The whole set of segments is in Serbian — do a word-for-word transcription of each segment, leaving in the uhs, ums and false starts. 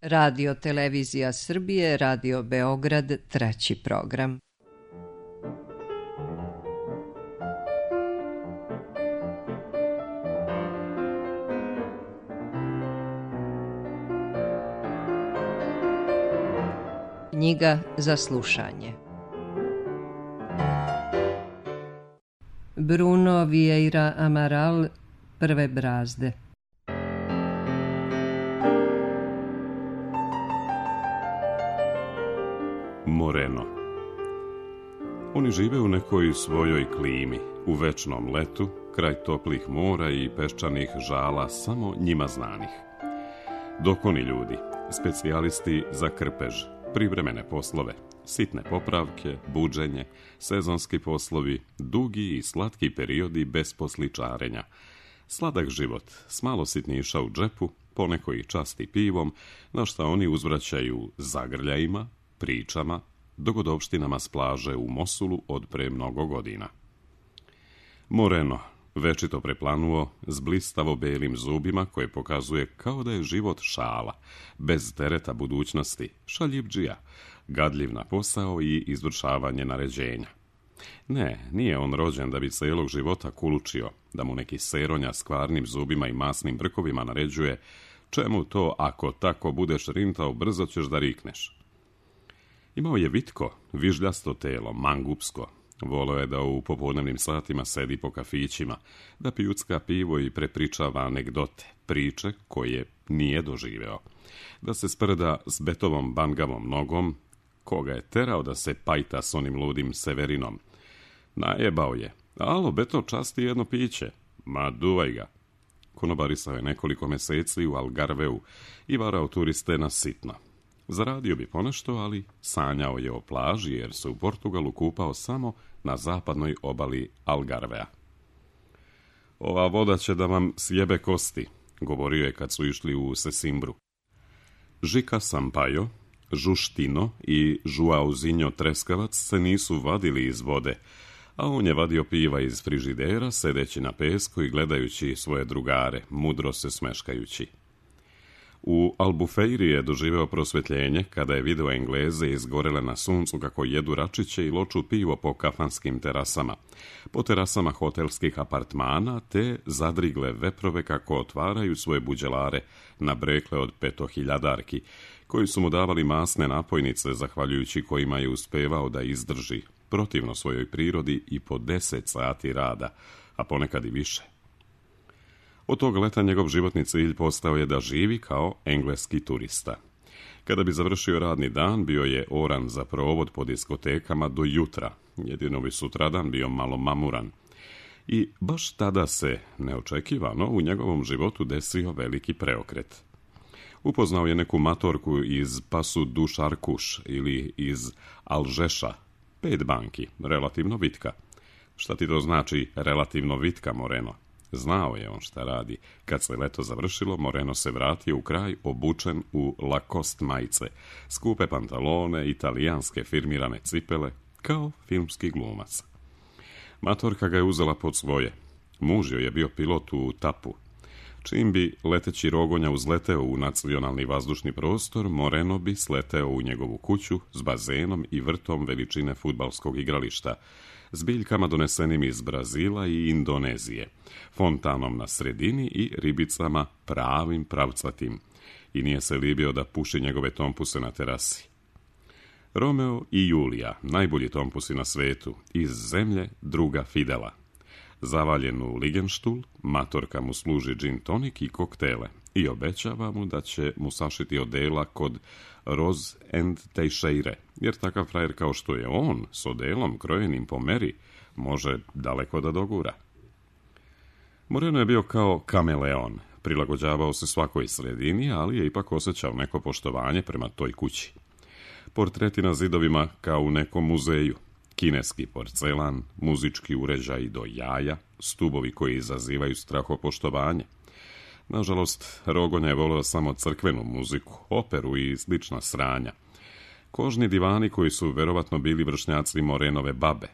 Radio Televizija Srbije, Radio Beograd, treći program. Knjiga za slušanje. Bruno Vieira Amaral, Prve brazde. Moreno. Oni žive u nekoj svojoj klimi, u večnom letu, kraj toplih mora i peščanih žala samo njima znanih. Dok oni ljudi, specijalisti za krpež, privremene poslove, sitne popravke, buđenje, sezonski poslovi, dugi i slatki periodi bez posličarenja. Sladak život, s malo sitniša u džepu, poneko i časti pivom, na šta oni uzvraćaju zagrljajima, pričama, dogodovštinama s plaže u Mosulu od pre mnogo godina. Moreno, večito preplanuo, s blistavo belim zubima koje pokazuje kao da je život šala, bez tereta budućnosti, šaljivdžija, gadljiv na posao i izvršavanje naređenja. Ne, nije on rođen da bi celog života kulučio, da mu neki seronja s kvarnim zubima i masnim brkovima naređuje čemu to ako tako budeš rintao brzo ćeš da rikneš. Imao je vitko, vižljasto telo, mangupsko. Voleo je da u popodnevnim satima sedi po kafićima, da pijucka pivo i prepričava anegdote, priče koje nije doživeo. Da se sprda s Betovom bangavom nogom, koga je terao da se pajta s onim ludim Severinom. Najebao je. Alo, Beto, časti jedno piće. Ma, duvaj ga. Konobarisao je nekoliko meseci u Algarveu i varao turiste na sitno. Zaradio bi ponešto, ali sanjao je o plaži jer se u Portugalu kupao samo na zapadnoj obali Algarvea. Ova voda će da vam sjebe kosti, govorio je kad su išli u Sesimbru. Žika Sampaio, Žuštino i Žuauzinjo Treskavac se nisu vadili iz vode, a on je vadio piva iz frižidera, sedeći na pesku i gledajući svoje drugare, mudro se smeškajući. U Albufeiri je doživeo prosvetljenje kada je video Engleze izgorele na suncu kako jedu račiće i loču pivo po kafanskim terasama, po terasama hotelskih apartmana, te zadrigle veprove kako otvaraju svoje buđelare na brekle od petohiljadarki, koji su mu davali masne napojnice, zahvaljujući kojima je uspevao da izdrži, protivno svojoj prirodi, i po deset sati rada, a ponekad i više. Od tog leta njegov životni cilj postao je da živi kao engleski turista. Kada bi završio radni dan, bio je oran za provod po diskotekama do jutra, jedino bi sutradan bio malo mamuran. I baš tada se, neočekivano, u njegovom životu desio veliki preokret. Upoznao je neku matorku iz Pasu du Šarkuš ili iz Alžeša, pet banki, relativno vitka. Šta ti to znači relativno vitka, Moreno? Znao je on šta radi. Kad se leto završilo, Moreno se vratio u kraj obučen u Lacoste majice, skupe pantalone, italijanske firmirane cipele, kao filmski glumac. Matorka ga je uzela pod svoje. Muž joj je bio pilot u Tapu. Čim bi leteći rogonja uzleteo u nacionalni vazdušni prostor, Moreno bi sleteo u njegovu kuću s bazenom i vrtom veličine fudbalskog igrališta, s biljkama donesenim iz Brazila i Indonezije, fontanom na sredini i ribicama pravim pravcatim, i nije se libio da puši njegove tompuse na terasi. Romeo i Julija, najbolji tompusi na svetu, iz zemlje druga Fidela. Zavaljen u ligenštul, matorka mu služi gin tonik i koktele i obećava mu da će mu sašiti odela kod Rose and Teixeire, jer takav frajer kao što je on, s odelom krojenim po meri, može daleko da dogura. Moreno je bio kao kameleon, prilagođavao se svakoj sredini, ali je ipak osjećao neko poštovanje prema toj kući. Portreti na zidovima kao u nekom muzeju, kineski porcelan, muzički uređaj do jaja, stubovi koji izazivaju strahopoštovanje. Nažalost, Rogonja je voleo samo crkvenu muziku, operu i slična sranja. Kožni divani koji su verovatno bili vršnjaci Morenove babe,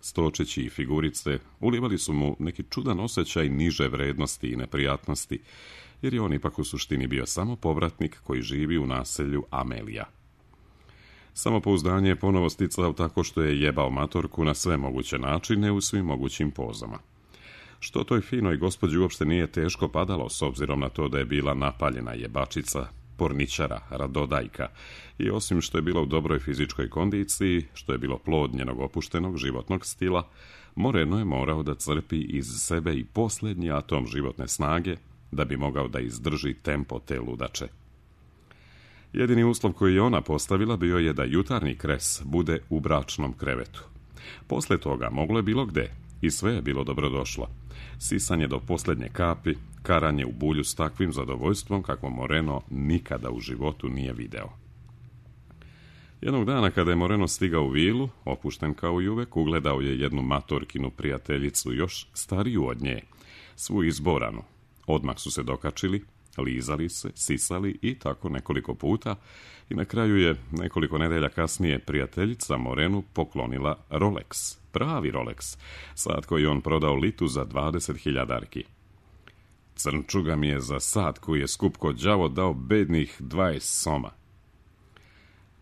stočići i figurice, ulivali su mu neki čudan osjećaj niže vrednosti i neprijatnosti, jer je on ipak u suštini bio samo povratnik koji živi u naselju Amelija. Samopouzdanje je ponovo sticao tako što je jebao matorku na sve moguće načine u svim mogućim pozama. Što toj finoj gospođi uopšte nije teško padalo, s obzirom na to da je bila napaljena jebačica, porničara, radodajka i osim što je bila u dobroj fizičkoj kondiciji, što je bilo plod njenog opuštenog životnog stila, Moreno je morao da crpi iz sebe i posljednji atom životne snage da bi mogao da izdrži tempo te ludače. Jedini uslov koji je ona postavila bio je da jutarnji kres bude u bračnom krevetu. Posle toga moglo je bilo gde i sve je bilo dobrodošlo. Sisanje do posljednje kapi, karanje u bulju s takvim zadovoljstvom kako Moreno nikada u životu nije video. Jednog dana kada je Moreno stigao u vilu, opušten kao i uvek, ugledao je jednu matorkinu prijateljicu, još stariju od nje, svu izboranu. Odmah su se dokačili, lizali se, sisali i tako nekoliko puta i na kraju je nekoliko nedelja kasnije prijateljica Morenu poklonila Rolex, pravi Rolex, sat koji on prodao Litu za dvadeset hiljadarki. Crnčuga mi je za sat koji je skup ko đavo dao bednih dvadeset soma.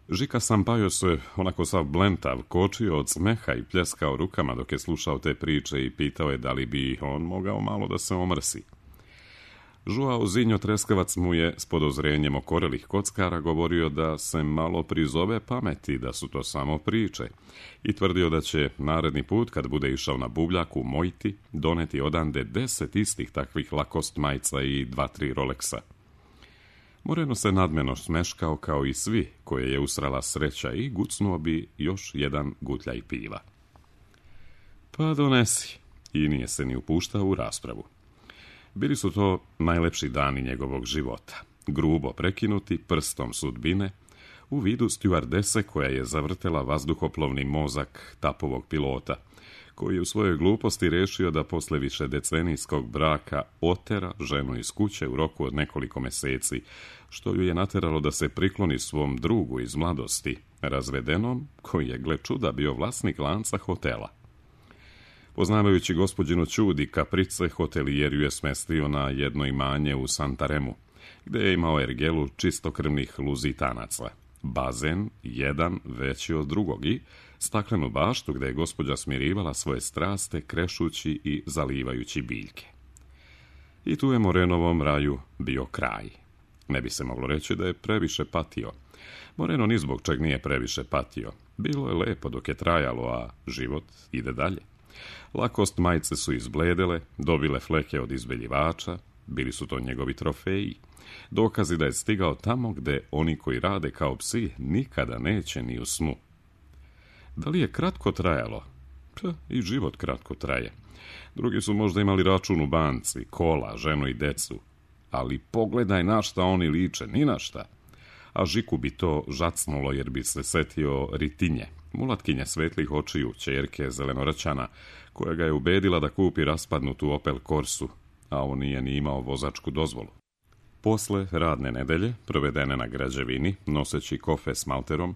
Žika Sampaio se onako sav blentav kočio od smeha i pljeskao rukama dok je slušao te priče i pitao je da li bi on mogao malo da se omrsi. Joao Zinjo Treskavac mu je s podozrenjem okorelih kockara govorio da se malo prizove pameti, da su to samo priče i tvrdio da će naredni put kad bude išao na buvljak u Mojti doneti odande deset istih takvih lakost majca i dva, tri Rolexa. Moreno se nadmeno smeškao kao i svi koje je usrala sreća i gucnuo bi još jedan gutljaj piva. Pa donesi, i nije se ni upuštao u raspravu. Bili su to najlepši dani njegovog života, grubo prekinuti prstom sudbine, u vidu stjuardese koja je zavrtela vazduhoplovni mozak Tapovog pilota, koji je u svojoj gluposti rešio da posle više decenijskog braka otera ženu iz kuće u roku od nekoliko meseci, što ju je nateralo da se prikloni svom drugu iz mladosti, razvedenom, koji je, gle čuda, bio vlasnik lanca hotela. Poznavajući gospođinu čudi kaprice, hotelijer ju je smestio na jedno imanje u Santaremu, gde je imao ergelu čistokrvnih luzitanaca, bazen, jedan veći od drugog i staklenu baštu gde je gospođa smirivala svoje straste krešući i zalivajući biljke. I tu je Morenovom raju bio kraj. Ne bi se moglo reći da je previše patio. Moreno ni zbog čeg nije previše patio. Bilo je lepo dok je trajalo, a život ide dalje. Lakost majice su izbledele, dobile fleke od izbeljivača, bili su to njegovi trofeji. Dokazi da je stigao tamo gde oni koji rade kao psi nikada neće ni u snu. Da li je kratko trajalo? Pa, i život kratko traje. Drugi su možda imali račun u banci, kola, ženu i decu. Ali pogledaj na šta oni liče, ni na šta. A Žiku bi to žacnulo jer bi se setio Ritinje, mulatkinje svetlih očiju, ćerke zelenoraćana, koja ga je ubedila da kupi raspadnutu Opel Corsu, a on nije ni imao vozačku dozvolu. Posle radne nedelje, provedene na građevini, noseći kofe s malterom,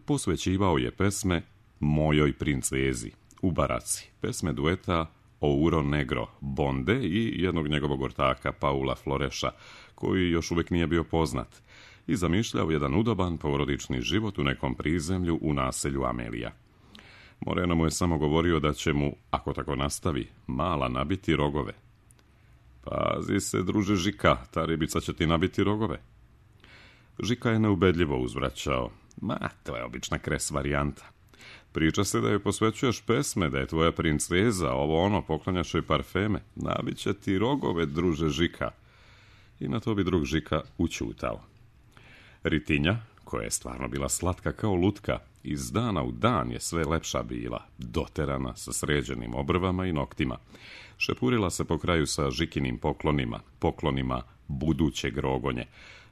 posvećivao je pesme Mojoj princezi u baraci, pesme dueta Ouro Negro Bonde i jednog njegovog ortaka Paula Floreša, koji još uvijek nije bio poznat, i zamišljao jedan udoban porodični život u nekom prizemlju u naselju Amelija. Moreno mu je samo govorio da će mu, ako tako nastavi, mala nabiti rogove. Pazi se, druže Žika, ta ribica će ti nabiti rogove. Žika je neubedljivo uzvraćao. Ma, to je obična kres varijanta. Priča se da joj posvećuješ pesme, da je tvoja princeza, ovo ono, poklanjaš joj parfeme. Nabit će ti rogove, druže Žika. I na to bi drug Žika učutao. Ritinja, koja je stvarno bila slatka kao lutka, iz dana u dan je sve lepša bila, doterana sa sređenim obrvama i noktima. Šepurila se po kraju sa Žikinim poklonima, poklonima budućeg rogonje,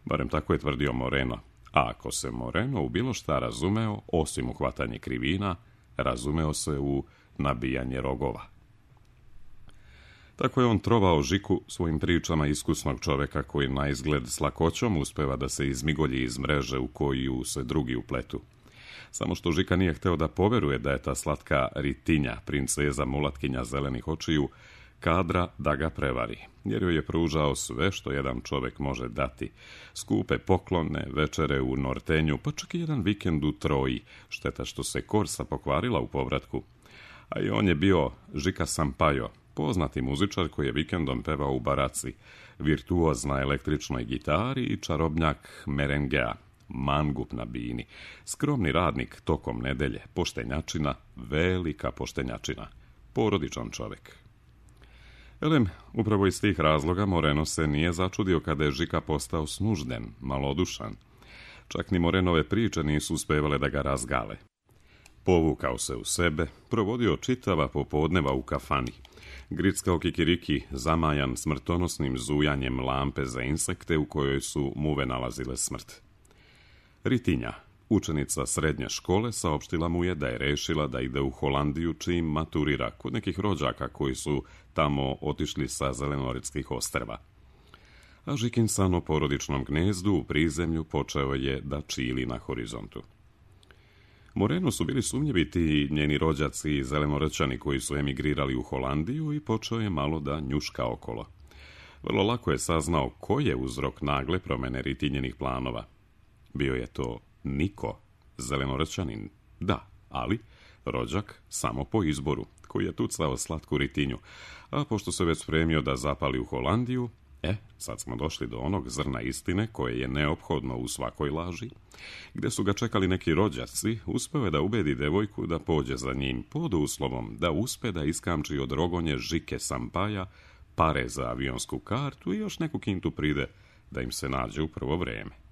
barem tako je tvrdio Moreno. A ako se Moreno u bilo šta razumeo, osim u hvatanje krivina, razumeo se u nabijanje rogova. Tako je on trovao Žiku svojim pričama iskusnog čoveka koji na izgled s lakoćom uspeva da se izmigolji iz mreže u koju se drugi upletu. Samo što Žika nije hteo da poveruje da je ta slatka Ritinja, princeza mulatkinja zelenih očiju, kadra da ga prevari, jer joj je pružao sve što jedan čovjek može dati. Skupe poklone, večere u Nortenju, pa čak i jedan vikend u Troji. Šteta što se Korsa pokvarila u povratku. A i on je bio Žika Sampaio, poznati muzičar koji je vikendom pevao u baraci, virtuoz na električnoj gitari i čarobnjak merengea, mangup na bini, skromni radnik tokom nedelje, poštenjačina, velika poštenjačina, porodičan čovjek. Elem, upravo iz tih razloga Moreno se nije začudio kada je Žika postao snužden, malodušan. Čak ni Morenove priče nisu uspevale da ga razgale. Povukao se u sebe, provodio čitava popodneva u kafani, grickao kikiriki zamajan smrtonosnim zujanjem lampe za insekte u kojoj su muve nalazile smrt. Ritinja, učenica srednje škole, saopštila mu je da je rešila da ide u Holandiju čim maturira kod nekih rođaka koji su tamo otišli sa Zelenoritskih ostrva. A Žikin san o porodičnom gnezdu u prizemlju počeo je da čili na horizontu. Moreno su bili sumnjivi ti njeni rođaci i Zelenorećani koji su emigrirali u Holandiju i počeo je malo da njuška okolo. Vrlo lako je saznao ko je uzrok nagle promene Ritinjenih planova. Bio je to Niko, Zelenorećanin, da, ali rođak samo po izboru, koji je tucao slatku Ritinju, a pošto se već spremio da zapali u Holandiju, e, sad smo došli do onog zrna istine koje je neophodno u svakoj laži, gde su ga čekali neki rođaci, uspeo je da ubedi devojku da pođe za njim pod uslovom da uspe da iskamči od rogonje Žike Sampaia pare za avionsku kartu i još neku kintu pride da im se nađe u prvo vreme.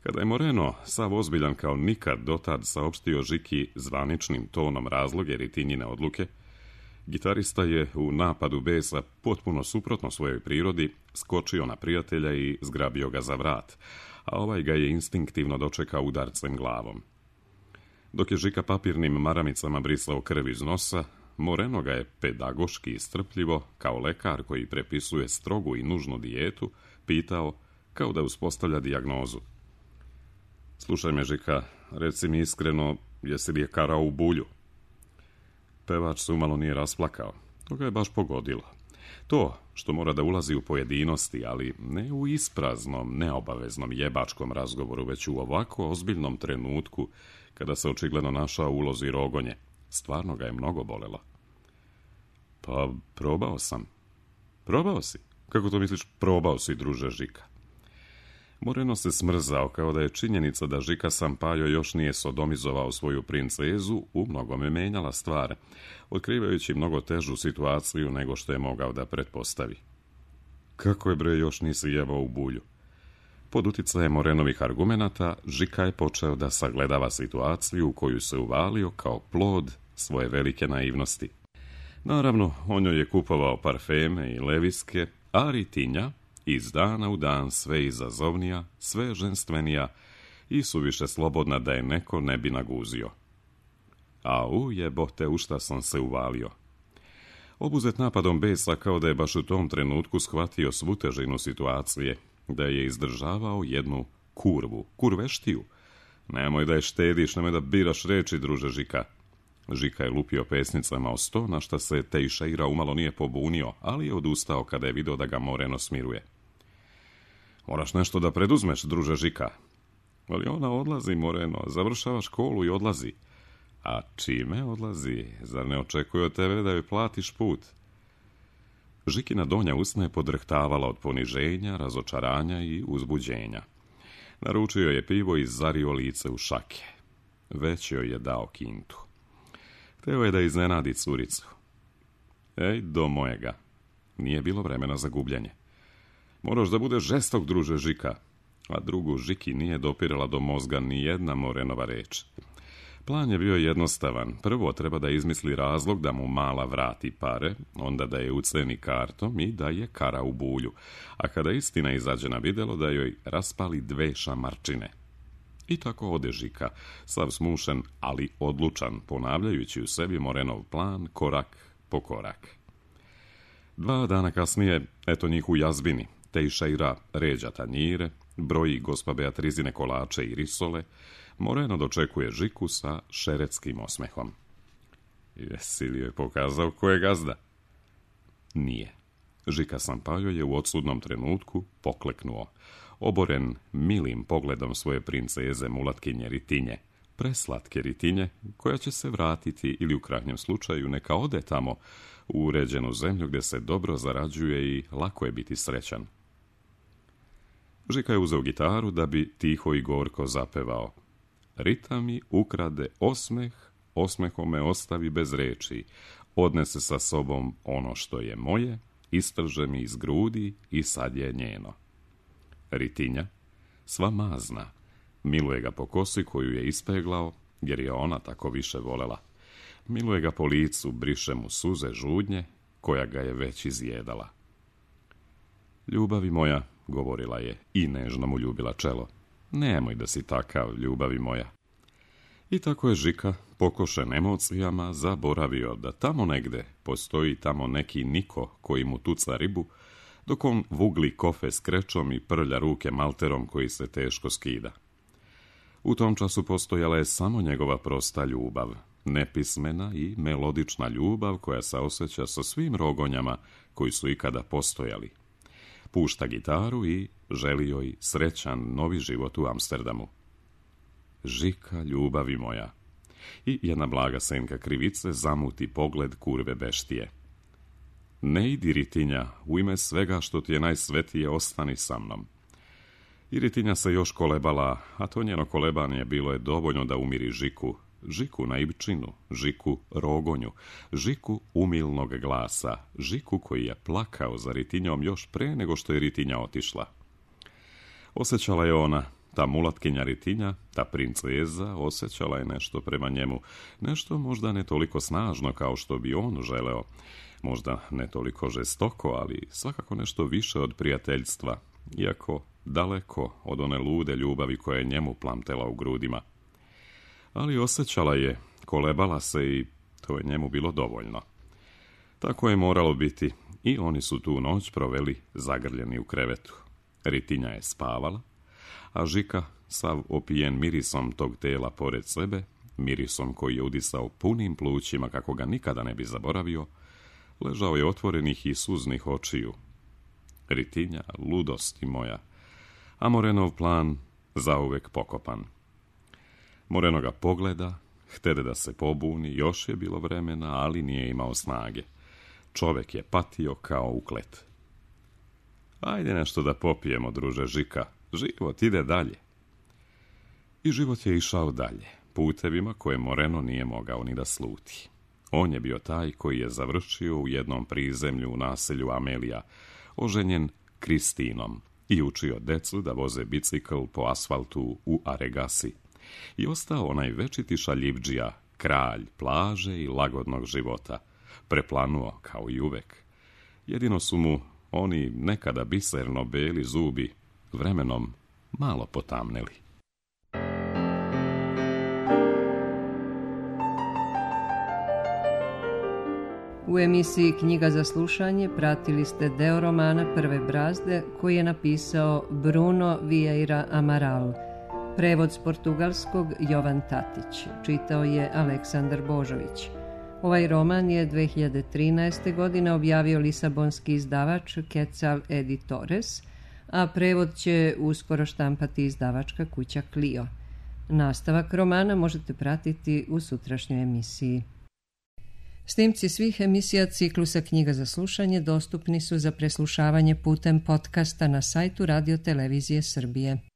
Kada je Moreno, sav ozbiljan kao nikad dotad, saopštio Žiki zvaničnim tonom razloge Ritinjine odluke, gitarista je u napadu besa, potpuno suprotno svojoj prirodi, skočio na prijatelja i zgrabio ga za vrat, a ovaj ga je instinktivno dočekao udarcem glavom. Dok je Žika papirnim maramicama brisao krv iz nosa, Moreno ga je pedagoški i strpljivo, kao lekar koji prepisuje strogu i nužnu dijetu, pitao kao da uspostavlja dijagnozu. Slušaj me, Žika, reci mi iskreno, jesi li je karao u bulju? Pevač se umalo nije rasplakao. To ga je baš pogodilo. To što mora da ulazi u pojedinosti, ali ne u ispraznom, neobaveznom jebačkom razgovoru, već u ovako ozbiljnom trenutku, kada se očigledno našao u ulozi rogonje, stvarno ga je mnogo bolelo. Pa, probao sam. Probao si? Kako to misliš, probao si, druže Žika? Moreno se smrzao, kao da je činjenica da Žika Sampaio još nije sodomizovao svoju princezu u mnogome menjala stvar, otkrivajući mnogo težu situaciju nego što je mogao da pretpostavi. Kako je, bre, još nisi jebao u bulju? Pod uticajem Morenovih argumenata, Žika je počeo da sagledava situaciju u koju se uvalio kao plod svoje velike naivnosti. Naravno, on joj je kupovao parfeme i leviske, a Ritinja iz dana u dan sve izazovnija, sve ženstvenija i suviše slobodna da je neko ne bi naguzio. A u jebote, u šta sam se uvalio. Obuzet napadom besa, kao da je baš u tom trenutku shvatio svu težinu situacije, da je izdržavao jednu kurvu, kurveštiju. Nemoj da je štediš, nemoj da biraš reči, druže Žika. Žika je lupio pesnicama o sto, na šta se Tejšeira umalo nije pobunio, ali je odustao kada je vidio da ga Moreno smiruje. Moraš nešto da preduzmeš, druže Žika. Ali ona odlazi, Moreno, završava školu i odlazi. A čime odlazi? Zar ne očekuje od tebe da joj platiš put? Žikina donja usna je podrhtavala od poniženja, razočaranja i uzbuđenja. Naručio je pivo i zario lice u šake. Već joj je dao kintu. Hteo je da iznenadi curicu. Ej, do mojega. Nije bilo vremena za gubljenje. Moraš da budeš žestok, druže Žika. A drugu Žiki nije dopirala do mozga ni jedna Morenova reč. Plan je bio jednostavan. Prvo treba da izmisli razlog da mu mala vrati pare, onda da je uceni kartom i da je kara u bulju. A kada istina izađe na videlo, da joj raspali dve šamarčine. I tako ode Žika, sav smušen, ali odlučan, ponavljajući u sebi Morenov plan korak po korak. Dva dana kasnije, eto njih u jazbini, Tejšeira ređa tanjire, broji gospa Beatrizine kolače i risole, Moreno dočekuje Žiku sa šeretskim osmehom. Jesi li joj pokazao ko je gazda? Nije. Žika Sampaio je u odsudnom trenutku pokleknuo, oboren milim pogledom svoje princeze mulatkinje Ritinje, preslatke Ritinje, koja će se vratiti ili u krajnjem slučaju neka ode tamo u uređenu zemlju gdje se dobro zarađuje i lako je biti srećan. Žika je uzeo gitaru da bi tiho i gorko zapevao. Rita mi ukrade osmeh, osmehom me ostavi bez reči, odnese sa sobom ono što je moje, istrže mi iz grudi i sad je njeno. Ritinja, sva mazna, miluje ga po kosi koju je ispeglao, jer je ona tako više volela. Miluje ga po licu, briše mu suze žudnje, koja ga je već izjedala. Ljubavi moja, govorila je i nežno mu ljubila čelo. Nemoj da si takav, ljubavi moja. I tako je Žika, pokošen emocijama, zaboravio da tamo negde postoji tamo neki niko koji mu tuca ribu, dok on vugli kofe s krečom i prlja ruke malterom koji se teško skida. U tom času postojala je samo njegova prosta ljubav, nepismena i melodična ljubav koja se osjeća sa svim rogonjama koji su ikada postojali. Pušta gitaru i želi joj srećan novi život u Amsterdamu. Žika, ljubavi moja. I jedna blaga senka krivice zamuti pogled kurve beštije. Ne idi, Ritinja, u ime svega što ti je najsvetije, ostani sa mnom. I Ritinja se još kolebala, a to njeno kolebanje bilo je dovoljno da umiri Žiku, Žiku naivčinu, Žiku rogonju, Žiku umilnog glasa, Žiku koji je plakao za Ritinjom još pre nego što je Ritinja otišla. Osjećala je ona, ta mulatkinja Ritinja, ta princeza, osjećala je nešto prema njemu, nešto možda ne toliko snažno kao što bi on želeo, možda ne toliko žestoko, ali svakako nešto više od prijateljstva, iako daleko od one lude ljubavi koja je njemu plamtela u grudima. Ali osjećala je, kolebala se i to je njemu bilo dovoljno. Tako je moralo biti i oni su tu noć proveli zagrljeni u krevetu. Ritinja je spavala, a Žika, sav opijen mirisom tog tela pored sebe, mirisom koji je udisao punim plućima kako ga nikada ne bi zaboravio, ležao je otvorenih i suznih očiju. Ritinja, ludosti moja, a Morenov plan zauvek pokopan. Moreno ga pogleda, htede da se pobuni, još je bilo vremena, ali nije imao snage. Čovek je patio kao uklet. Ajde nešto da popijemo, druže Žika, život ide dalje. I život je išao dalje, putevima koje Moreno nije mogao ni da sluti. On je bio taj koji je završio u jednom prizemlju u naselju Amelija, oženjen Kristinom, i učio decu da voze bicikl po asfaltu u Aregasi. I ostao onaj večiti šaljivdžija, kralj plaže i lagodnog života, preplanuo kao i uvek. Jedino su mu oni nekada biserno beli zubi vremenom malo potamneli. U emisiji Knjiga za slušanje pratili ste deo romana Prve brazde koji je napisao Bruno Vieira Amaral. Prevod s portugalskog Jovan Tatić. Čitao je Aleksandar Božović. Ovaj roman je dve hiljade trinaeste. godine objavio lisabonski izdavač Quetzal Editores, a prevod će uskoro štampati izdavačka kuća Clio. Nastavak romana možete pratiti u sutrašnjoj emisiji. Snimci svih emisija ciklusa Knjiga za slušanje dostupni su za preslušavanje putem podcasta na sajtu Radio Televizije Srbije.